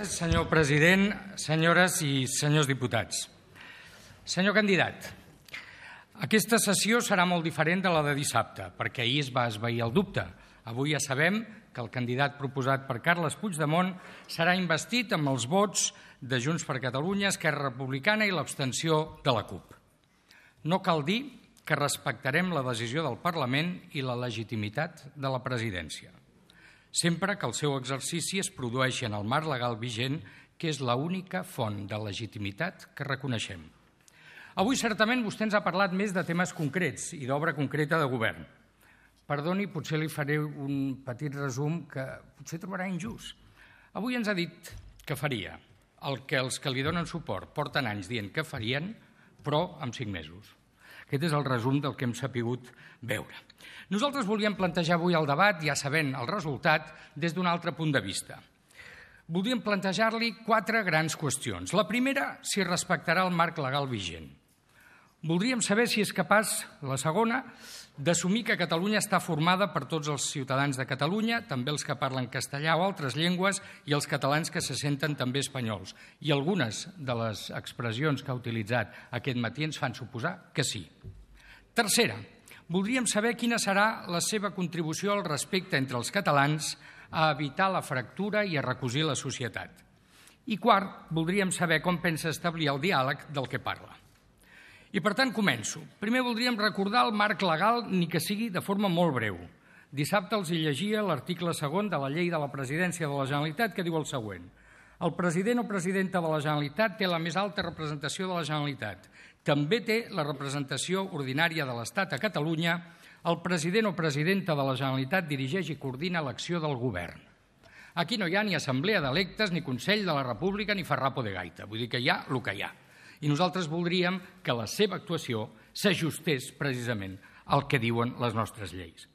Senyor president, senyores i senyors diputats. Senyor candidat, aquesta sessió serà molt diferent de la de dissabte, perquè ahir es va esvair el dubte. Avui ja sabem que el candidat proposat per Carles Puigdemont serà investit amb els vots de Junts per Catalunya, Esquerra Republicana i l'abstenció de la CUP. No cal dir que respectarem la decisió del Parlament i la legitimitat de la presidència, sempre que el seu exercici es produeixi en el marc legal vigent, que és l'única font de legitimitat que reconeixem. Avui, certament, vostè ens ha parlat més de temes concrets i d'obra concreta de govern. Perdoni, potser li faré un petit resum que potser trobarà injust. Avui ens ha dit que faria el que els que li donen suport porten anys dient que farien, però en 5 mesos. Aquest és el resum del que hem sapigut veure. Nosaltres volíem plantejar avui el debat, ja sabent el resultat, des d'un altre punt de vista. Voldríem plantejar-li 4 grans qüestions. La primera, si respectarà el marc legal vigent. Voldríem saber si és capaç, la segona, d'assumir que Catalunya està formada per tots els ciutadans de Catalunya, també els que parlen castellà o altres llengües, i els catalans que se senten també espanyols. I algunes de les expressions que ha utilitzat aquest matí ens fan suposar que sí. Tercera, voldríem saber quina serà la seva contribució al respecte entre els catalans a evitar la fractura i a recosir la societat. I quart, voldríem saber com pensa establir el diàleg del que parla. I, per tant, començo. Primer voldríem recordar el marc legal, ni que sigui de forma molt breu. Dissabte els llegia l'article 2 de la Llei de la Presidència de la Generalitat, que diu el següent. El president o presidenta de la Generalitat té la més alta representació de la Generalitat. També té la representació ordinària de l'Estat a Catalunya. El president o presidenta de la Generalitat dirigeix i coordina l'acció del govern. Aquí no hi ha ni assemblea d'electes, ni Consell de la República, ni farrapo de gaita. Vull dir que hi ha el que hi ha. I nosaltres voldríem que la seva actuació s'ajustés precisament al que diuen les nostres lleis.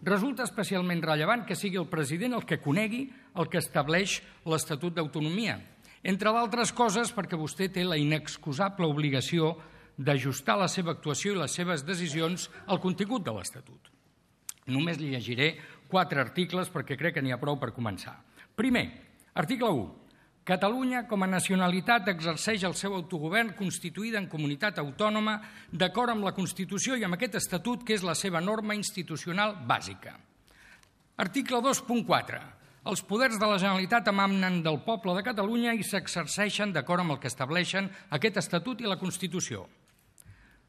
Resulta especialment rellevant que sigui el president el que conegui el que estableix l'Estatut d'Autonomia, entre d'altres coses perquè vostè té la inexcusable obligació d'ajustar la seva actuació i les seves decisions al contingut de l'Estatut. Només li llegiré 4 articles perquè crec que n'hi ha prou per començar. Primer, article 1. Catalunya, com a nacionalitat, exerceix el seu autogovern constituïda en comunitat autònoma d'acord amb la Constitució i amb aquest Estatut, que és la seva norma institucional bàsica. Article 2.4. Els poders de la Generalitat emanen del poble de Catalunya i s'exerceixen d'acord amb el que estableixen aquest Estatut i la Constitució.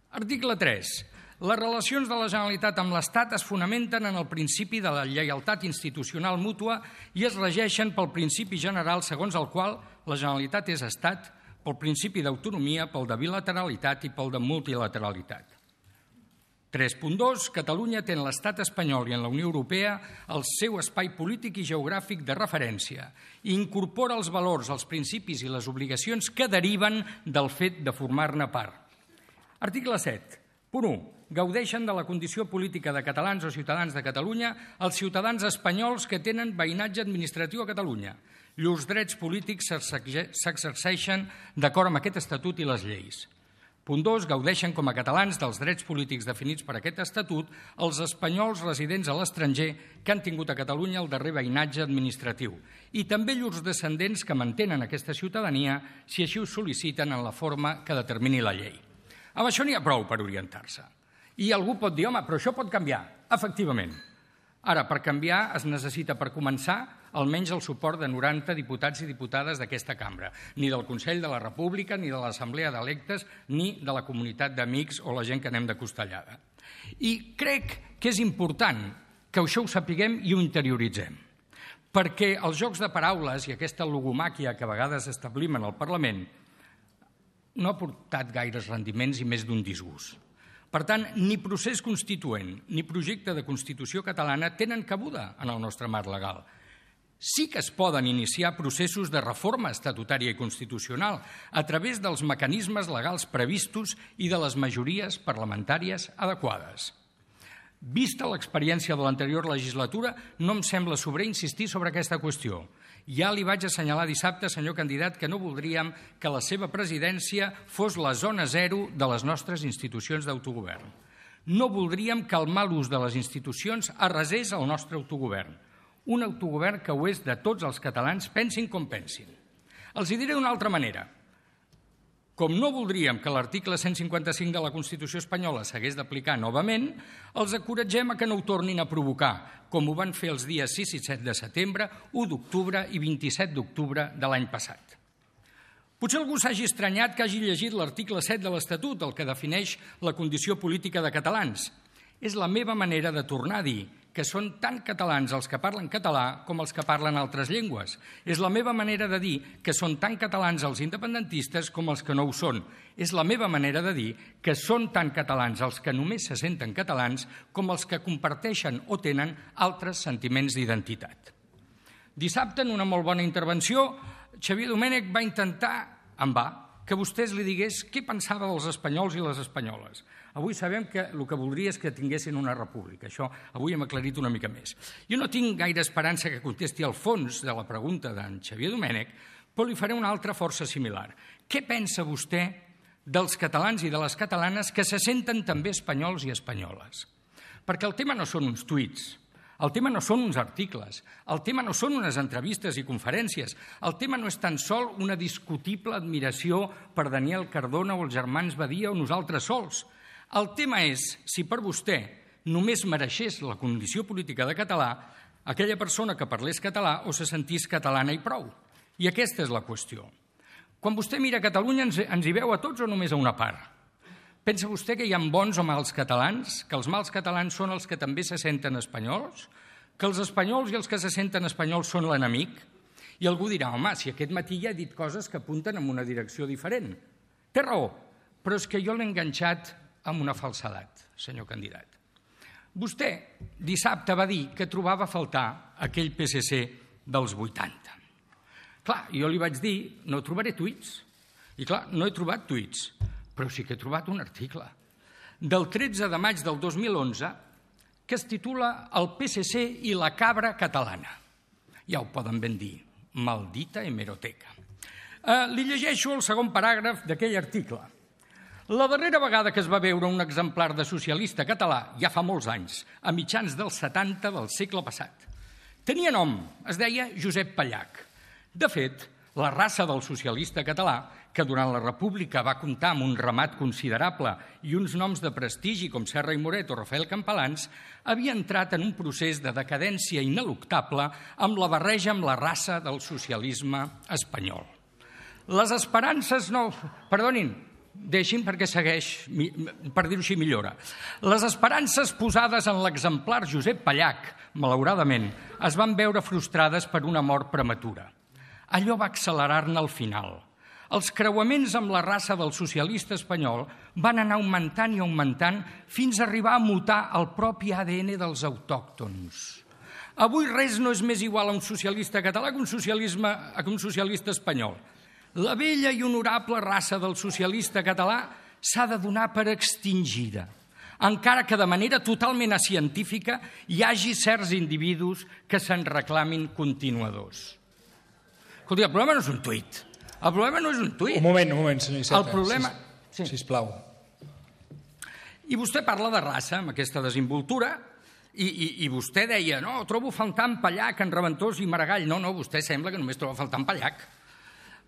Article 3. Les relacions de la Generalitat amb l'Estat es fonamenten en el principi de la lleialtat institucional mútua i es regeixen pel principi general segons el qual la Generalitat és Estat, pel principi d'autonomia, pel de bilateralitat i pel de multilateralitat. 3.2. Catalunya té en l'Estat espanyol i en la Unió Europea el seu espai polític i geogràfic de referència i incorpora els valors, els principis i les obligacions que deriven del fet de formar-ne part. Article 7. Punt 1. Gaudeixen de la condició política de catalans o ciutadans de Catalunya els ciutadans espanyols que tenen veïnatge administratiu a Catalunya. Llurs drets polítics s'exerceixen d'acord amb aquest Estatut i les lleis. Punt 2. Gaudeixen com a catalans dels drets polítics definits per aquest Estatut els espanyols residents a l'estranger que han tingut a Catalunya el darrer veïnatge administratiu i també llurs descendents que mantenen aquesta ciutadania si així ho sol·liciten en la forma que determini la llei. Amb això n'hi ha prou per orientar-se. I algú pot dir, home, però això pot canviar. Efectivament. Ara, per canviar es necessita, per començar, almenys el suport de 90 diputats i diputades d'aquesta cambra, ni del Consell de la República, ni de l'Assemblea d'Electes, ni de la comunitat d'amics o la gent que anem de costellada. I crec que és important que això ho sapiguem i ho interioritzem, perquè els jocs de paraules i aquesta logomàquia que a vegades establim en el Parlament no ha portat gaires rendiments i més d'un disgust. Per tant, ni procés constituent ni projecte de Constitució catalana tenen cabuda en el nostre marc legal. Sí que es poden iniciar processos de reforma estatutària i constitucional a través dels mecanismes legals previstos i de les majories parlamentàries adequades. Vista l'experiència de l'anterior legislatura, no em sembla sobrer insistir sobre aquesta qüestió. Ja li vaig assenyalar dissabte, senyor candidat, que no voldríem que la seva presidència fos la zona zero de les nostres institucions d'autogovern. No voldríem que el mal ús de les institucions arrasés el nostre autogovern. Un autogovern que ho és de tots els catalans, pensin com pensin. Els hi diré d'una altra manera. Com no voldríem que l'article 155 de la Constitució espanyola s'hagués d'aplicar novament, els encoratgem a que no ho tornin a provocar, com ho van fer els dies 6 i 7 de setembre, 1 d'octubre i 27 d'octubre de l'any passat. Potser algú s'hagi estranyat que hagi llegit l'article 7 de l'Estatut, el que defineix la condició política de catalans. És la meva manera de tornar a dir que són tant catalans els que parlen català com els que parlen altres llengües. És la meva manera de dir que són tant catalans els independentistes com els que no ho són. És la meva manera de dir que són tant catalans els que només se senten catalans com els que comparteixen o tenen altres sentiments d'identitat. Dissabte, en una molt bona intervenció, Xavier Domènech va intentar, en va, que vostès li digués què pensava dels espanyols i les espanyoles. Avui sabem que el que voldria és que tinguessin una república. Això avui hem aclarit una mica més. Jo no tinc gaire esperança que contesti al fons de la pregunta d'en Xavier Domènech, però li faré una altra força similar. Què pensa vostè dels catalans i de les catalanes que se senten també espanyols i espanyoles? Perquè el tema no són uns tuits, el tema no són uns articles, el tema no són unes entrevistes i conferències, el tema no és tan sol una discutible admiració per Daniel Cardona o els germans Badia o nosaltres sols. El tema és si per vostè només mereixés la condició política de català aquella persona que parlés català o se sentís catalana i prou. I aquesta és la qüestió. Quan vostè mira Catalunya ens hi veu a tots o només a una part? Pensa vostè que hi ha bons o mals catalans? Que els mals catalans són els que també se senten espanyols? Que els espanyols i els que se senten espanyols són l'enemic? I algú dirà, home, si aquest matí ja he dit coses que apunten en una direcció diferent. Té raó, però és que jo l'he enganxat amb una falsedat, senyor candidat. Vostè dissabte va dir que trobava a faltar aquell PSC dels 80. Clar, jo li vaig dir, no trobaré tuits. I clar, no he trobat tuits, però sí que he trobat un article del 13 de maig del 2011 que es titula El PSC i la cabra catalana. Ja ho poden ben dir, maldita hemeroteca. Li llegeixo el segon paràgraf d'aquell article. La darrera vegada que es va veure un exemplar de socialista català, ja fa molts anys, a mitjans dels 70 del segle passat. Tenia nom, es deia Josep Pallach. De fet, la raça del socialista català, que durant la República va comptar amb un ramat considerable i uns noms de prestigi com Serra i Moret o Rafael Campalans, havia entrat en un procés de decadència ineluctable amb la barreja amb la raça del socialisme espanyol. Les esperances no... Perdonin, deixin perquè segueix, per dir-ho així millora. Les esperances posades en l'exemplar Josep Pallach, malauradament, es van veure frustrades per una mort prematura. Allò va accelerar-ne al final. Els creuaments amb la raça del socialista espanyol van anar augmentant i augmentant fins a arribar a mutar el propi ADN dels autòctons. Avui res no és més igual a un socialista català que un socialista espanyol. La vella i honorable raça del socialista català s'ha de donar per extingida, encara que de manera totalment científica hi hagi certs individus que se'n reclamin continuadors. Escolti, el problema no és un tuit. El problema no és un tuit. Un moment, senyor Iceta. El problema... Sisplau. I vostè parla de raça amb aquesta desinvoltura i vostè deia, no, trobo faltant Pallach en Reventós i Maragall. No, vostè sembla que només troba faltant Pallach.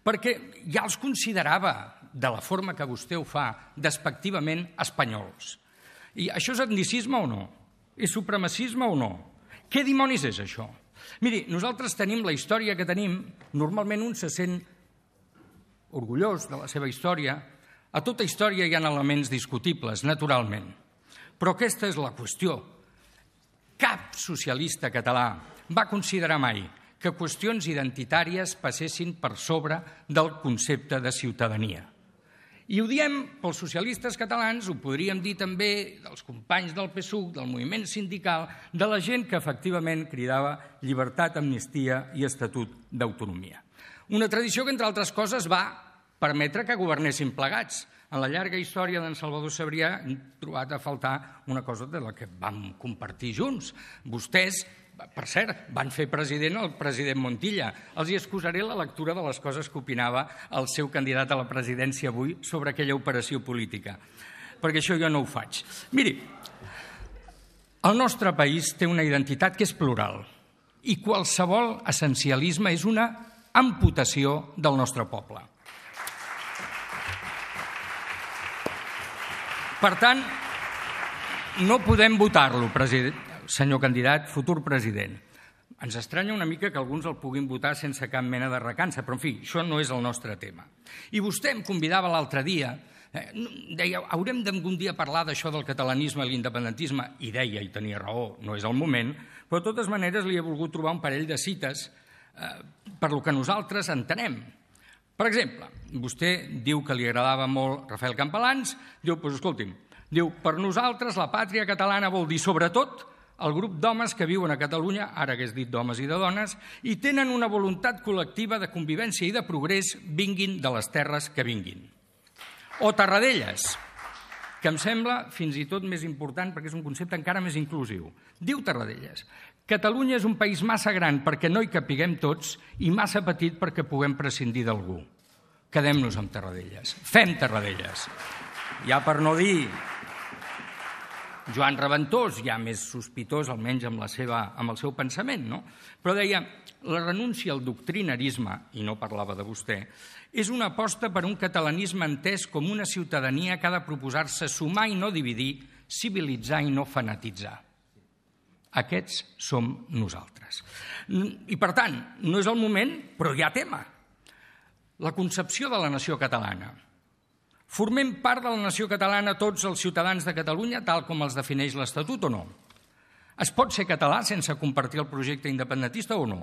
Perquè ja els considerava, de la forma que vostè ho fa, despectivament espanyols. I això és etnicisme o no? És supremacisme o no? Què dimonis és això? Miri, nosaltres tenim la història que tenim, normalment un se sent orgullós de la seva història. A tota història hi ha elements discutibles, naturalment. Però aquesta és la qüestió. Cap socialista català va considerar mai que qüestions identitàries passessin per sobre del concepte de ciutadania. I ho diem pels socialistes catalans, ho podríem dir també dels companys del PSUC, del moviment sindical, de la gent que efectivament cridava llibertat, amnistia i estatut d'autonomia. Una tradició que, entre altres coses, va permetre que governessin plegats. En la llarga història d'en Salvador Sabrià hem trobat a faltar una cosa de la que vam compartir junts. Vostès, per cert, van fer president el president Montilla. Els hi excusaré la lectura de les coses que opinava el seu candidat a la presidència avui sobre aquella operació política, perquè això jo no ho faig. Miri, el nostre país té una identitat que és plural i qualsevol essencialisme és una amputació del nostre poble. Per tant, no podem votar-lo, senyor candidat, futur president. Ens estranya una mica que alguns el puguin votar sense cap mena de recança, però en fi, això no és el nostre tema. I vostè em convidava l'altre dia, deia, haurem d'algun dia parlar d'això del catalanisme i l'independentisme, i deia, i tenia raó, no és el moment, però de totes maneres li he volgut trobar un parell de cites per lo que nosaltres entenem. Per exemple, vostè diu que li agradava molt Rafael Campalans, diu, doncs escolti'm, diu, per nosaltres la pàtria catalana vol dir sobretot el grup d'homes que viuen a Catalunya, ara hagués dit d'homes i de dones, i tenen una voluntat col·lectiva de convivència i de progrés, vinguin de les terres que vinguin. O Tarradellas, que em sembla fins i tot més important perquè és un concepte encara més inclusiu. Diu Tarradellas, Catalunya és un país massa gran perquè no hi capiguem tots i massa petit perquè puguem prescindir d'algú. Quedem-nos amb Tarradellas. Fem Tarradellas. Ja per no dir Joan Reventós, ja més sospitós, almenys amb el seu pensament, no? Però deia, la renúncia al doctrinarisme, i no parlava de vostè, és una aposta per un catalanisme entès com una ciutadania que ha de proposar-se sumar i no dividir, civilitzar i no fanatitzar. Aquests som nosaltres. I, per tant, no és el moment, però hi ha tema. La concepció de la nació catalana. Formem part de la nació catalana tots els ciutadans de Catalunya, tal com els defineix l'Estatut o no? Es pot ser català sense compartir el projecte independentista o no?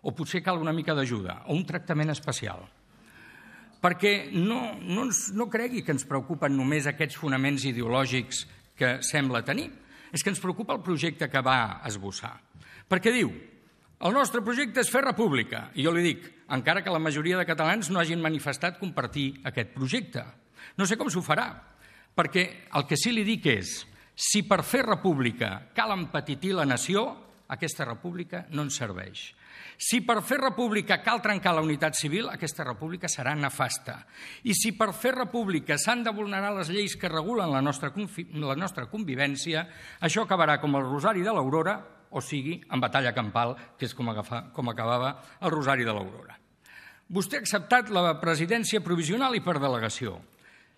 O potser cal una mica d'ajuda o un tractament especial? Perquè no cregui que ens preocupen només aquests fonaments ideològics que sembla tenir. És que ens preocupa el projecte que va esbossar. Perquè diu, el nostre projecte és fer república. I jo li dic, encara que la majoria de catalans no hagin manifestat compartir aquest projecte. No sé com s'ho farà, perquè el que sí li dic és, si per fer república cal empetitir la nació, aquesta república no ens serveix. Si per fer república cal trencar la unitat civil, aquesta república serà nefasta. I si per fer república s'han de vulnerar les lleis que regulen la nostra convivència, això acabarà com el Rosari de l'Aurora, o sigui, en batalla campal, que és com acabava el Rosari de l'Aurora. Vostè ha acceptat la presidència provisional i per delegació.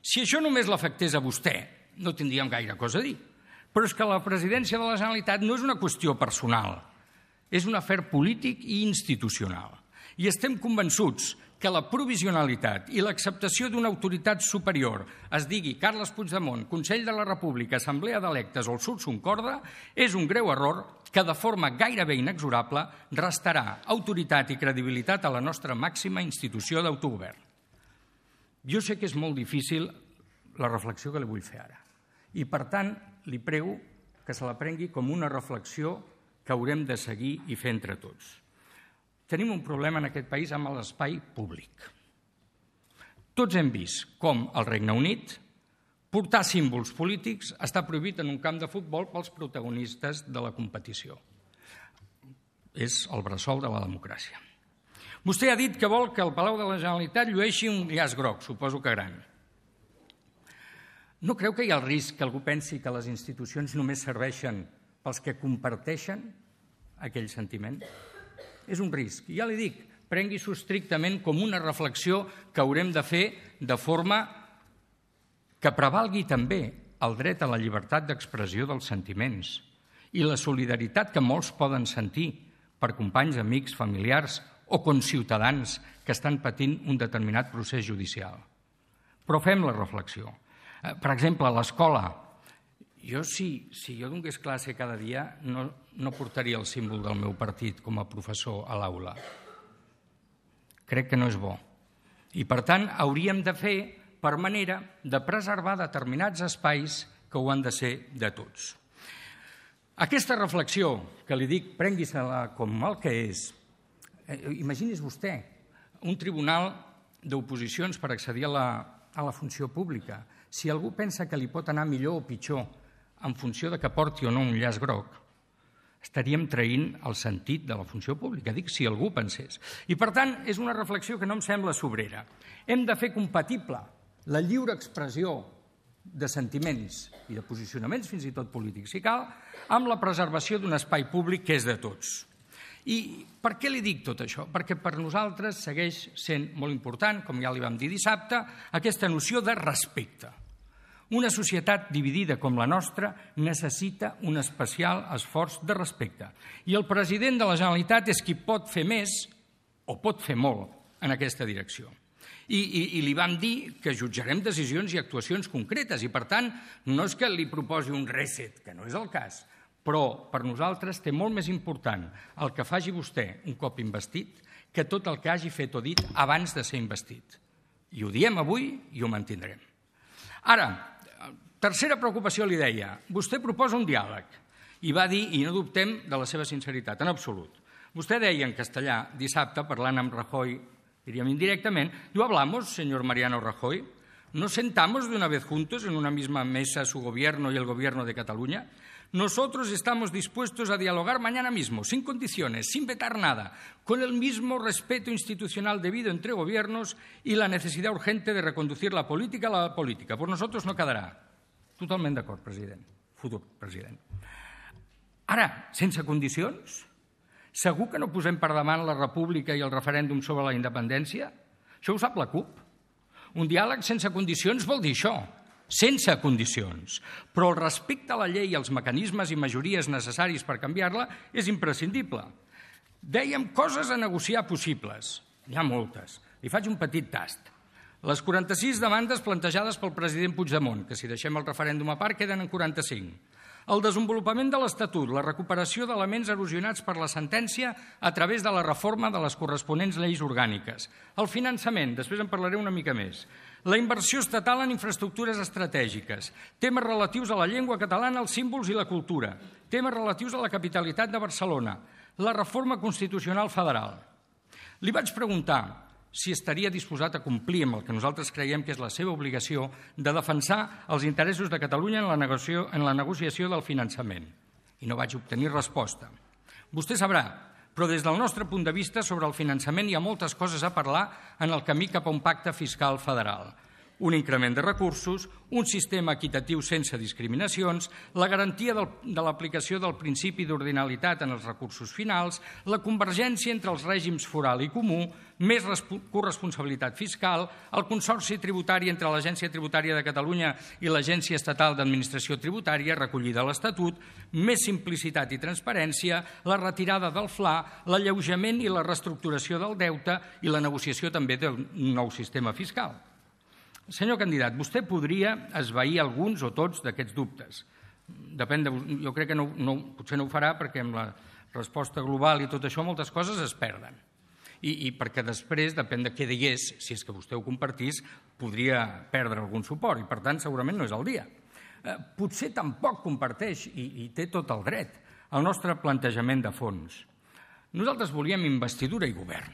Si això només l'afectés a vostè, no tindríem gaire cosa a dir. Però és que la presidència de la Generalitat no és una qüestió personal, és un afer polític i institucional. I estem convençuts que la provisionalitat i l'acceptació d'una autoritat superior, es digui Carles Puigdemont, Consell de la República, Assemblea d'Electes o el Sursum Corda, és un greu error que de forma gairebé inexorable restarà autoritat i credibilitat a la nostra màxima institució d'autogovern. Jo sé que és molt difícil la reflexió que li vull fer ara i, per tant, li prego que se la prengui com una reflexió que haurem de seguir i fer entre tots. Tenim un problema en aquest país amb l'espai públic. Tots hem vist com al Regne Unit portar símbols polítics està prohibit en un camp de futbol pels protagonistes de la competició. És el bressol de la democràcia. Vostè ha dit que vol que el Palau de la Generalitat llueixi un llaç groc, suposo que gran. No creu que hi ha el risc que algú pensi que les institucions només serveixen pels que comparteixen aquell sentiment? És un risc. I ja li dic, prengui-s'ho estrictament com una reflexió que haurem de fer de forma que prevalgui també el dret a la llibertat d'expressió dels sentiments i la solidaritat que molts poden sentir per companys, amics, familiars o conciutadans que estan patint un determinat procés judicial. Però fem la reflexió. Per exemple, a l'escola, si jo donés classe cada dia, no portaria el símbol del meu partit com a professor a l'aula. Crec que no és bo. I, per tant, hauríem de fer per manera de preservar determinats espais que ho han de ser de tots. Aquesta reflexió, que li dic, prengui-se-la com el que és. Imagini's vostè un tribunal d'oposicions per accedir a la funció pública. Si algú pensa que li pot anar millor o pitjor en funció de que porti o no un llaç groc, estaríem traint el sentit de la funció pública. Dic, si algú pensés. I, per tant, és una reflexió que no em sembla sobrera. Hem de fer compatible la lliure expressió de sentiments i de posicionaments, fins i tot polítics, si cal, amb la preservació d'un espai públic que és de tots. I per què li dic tot això? Perquè per nosaltres segueix sent molt important, com ja li vam dir dissabte, aquesta noció de respecte. Una societat dividida com la nostra necessita un especial esforç de respecte. I el president de la Generalitat és qui pot fer més o pot fer molt en aquesta direcció. I li vam dir que jutjarem decisions i actuacions concretes i, per tant, no és que li proposi un reset, que no és el cas, però per nosaltres té molt més important el que faci vostè un cop investit que tot el que hagi fet o dit abans de ser investit. I ho diem avui i ho mantindrem. Ara, tercera preocupació li deia, vostè proposa un diàleg i va dir, i no dubtem de la seva sinceritat, en absolut. Vostè deia en castellà dissabte, parlant amb Rajoy, diríem indirectament, diu, hablamos, señor Mariano Rajoy, ¿nos sentamos de una vez juntos en una misma mesa su gobierno y el gobierno de Cataluña? Nosotros estamos dispuestos a dialogar mañana mismo, sin condiciones, sin vetar nada, con el mismo respeto institucional debido entre gobiernos y la necesidad urgente de reconducir la política a la política. Por nosotros no quedarà. Totalment d'acord, president. Futur president. Ara, sense condicions? Segur que no posem per davant la república i el referèndum sobre la independència? Això ho sap la CUP. Un diàleg sense condicions vol dir això. Sense condicions. Però el respecte a la llei i als mecanismes i majories necessaris per canviar-la és imprescindible. Dèiem coses a negociar possibles. N'hi ha moltes. Li faig un petit tast. Les 46 demandes plantejades pel president Puigdemont, que si deixem el referèndum a part queden en 45. El desenvolupament de l'Estatut, la recuperació d'elements erosionats per la sentència a través de la reforma de les corresponents lleis orgàniques. El finançament, després en parlaré una mica més. La inversió estatal en infraestructures estratègiques. Temes relatius a la llengua catalana, els símbols i la cultura. Temes relatius a la capitalitat de Barcelona. La reforma constitucional federal. Li vaig preguntar si estaria disposat a complir amb el que nosaltres creiem que és la seva obligació de defensar els interessos de Catalunya en la negociació del finançament. I no vaig obtenir resposta. Vostè sabrà, però des del nostre punt de vista sobre el finançament hi ha moltes coses a parlar en el camí cap a un pacte fiscal federal. Un increment de recursos, un sistema equitatiu sense discriminacions, la garantia de l'aplicació del principi d'ordinalitat en els recursos finals, la convergència entre els règims foral i comú, més corresponsabilitat fiscal, el consorci tributari entre l'Agència Tributària de Catalunya i l'Agència Estatal d'Administració Tributària, recollida a l'Estatut, més simplicitat i transparència, la retirada del FLA, l'alleujament i la reestructuració del deute i la negociació també d'un nou sistema fiscal. Senyor candidat, vostè podria esvair alguns o tots d'aquests dubtes. Depèn de, jo crec que potser no ho farà perquè amb la resposta global i tot això moltes coses es perden. I perquè després, depèn de què digués, si és que vostè ho compartís, podria perdre algun suport i per tant segurament no és el dia. Potser tampoc comparteix, i té tot el dret, el nostre plantejament de fons. Nosaltres volíem investidura i govern,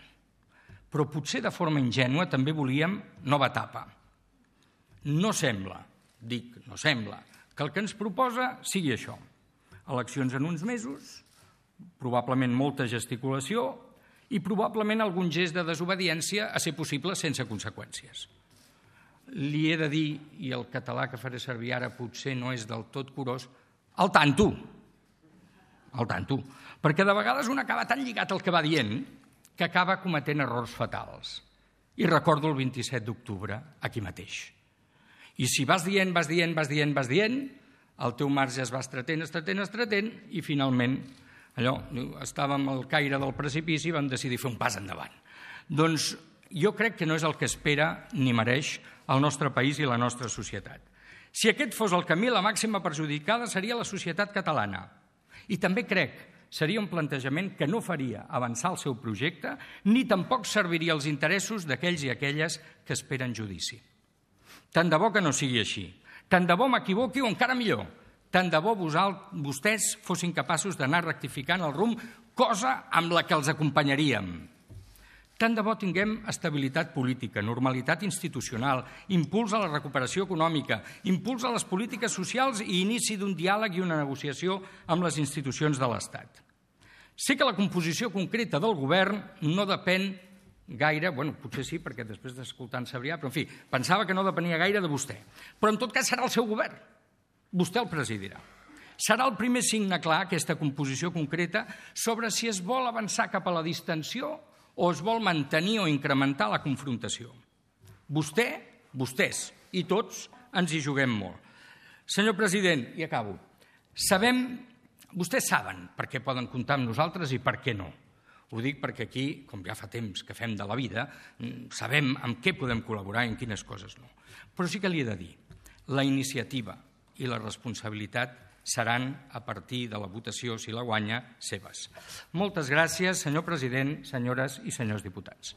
però potser de forma ingènua també volíem nova etapa. No sembla, que el que ens proposa sigui això. Eleccions en uns mesos, probablement molta gesticulació i probablement algun gest de desobediència a ser possible sense conseqüències. Li he de dir, i el català que faré servir ara potser no és del tot curós, al tanto, perquè de vegades un acaba tan lligat al que va dient que acaba cometent errors fatals. I recordo el 27 d'octubre, aquí mateix. I si vas dient, el teu marge es va estretent, i finalment estàvem al caire del precipici i vam decidir fer un pas endavant. Doncs jo crec que no és el que espera ni mereix el nostre país i la nostra societat. Si aquest fos el camí, la màxima perjudicada seria la societat catalana. I també crec seria un plantejament que no faria avançar el seu projecte ni tampoc serviria als interessos d'aquells i aquelles que esperen judici. Tant de bo que no sigui així. Tant de bo m'equivoqui o encara millor. Tant de bo vostès fossin capaços d'anar rectificant el rumb, cosa amb la que els acompanyaríem. Tant de bo tinguem estabilitat política, normalitat institucional, impuls a la recuperació econòmica, impuls a les polítiques socials i inici d'un diàleg i una negociació amb les institucions de l'Estat. Sé que la composició concreta del govern no depèn gaire, potser sí, perquè després d'escoltar en Sabrià, però en fi, pensava que no depenia gaire de vostè. Però en tot cas serà el seu govern. Vostè el presidirà. Serà el primer signe clar, aquesta composició concreta, sobre si es vol avançar cap a la distensió o es vol mantenir o incrementar la confrontació. Vostès i tots ens hi juguem molt. Senyor president, i acabo, vostès saben per què poden comptar amb nosaltres i per què no. Ho dic perquè aquí, com ja fa temps que fem de la vida, sabem amb què podem col·laborar i en quines coses no. Però sí que li he de dir, la iniciativa i la responsabilitat seran, a partir de la votació, si la guanya, seves. Moltes gràcies, senyor president, senyores i senyors diputats.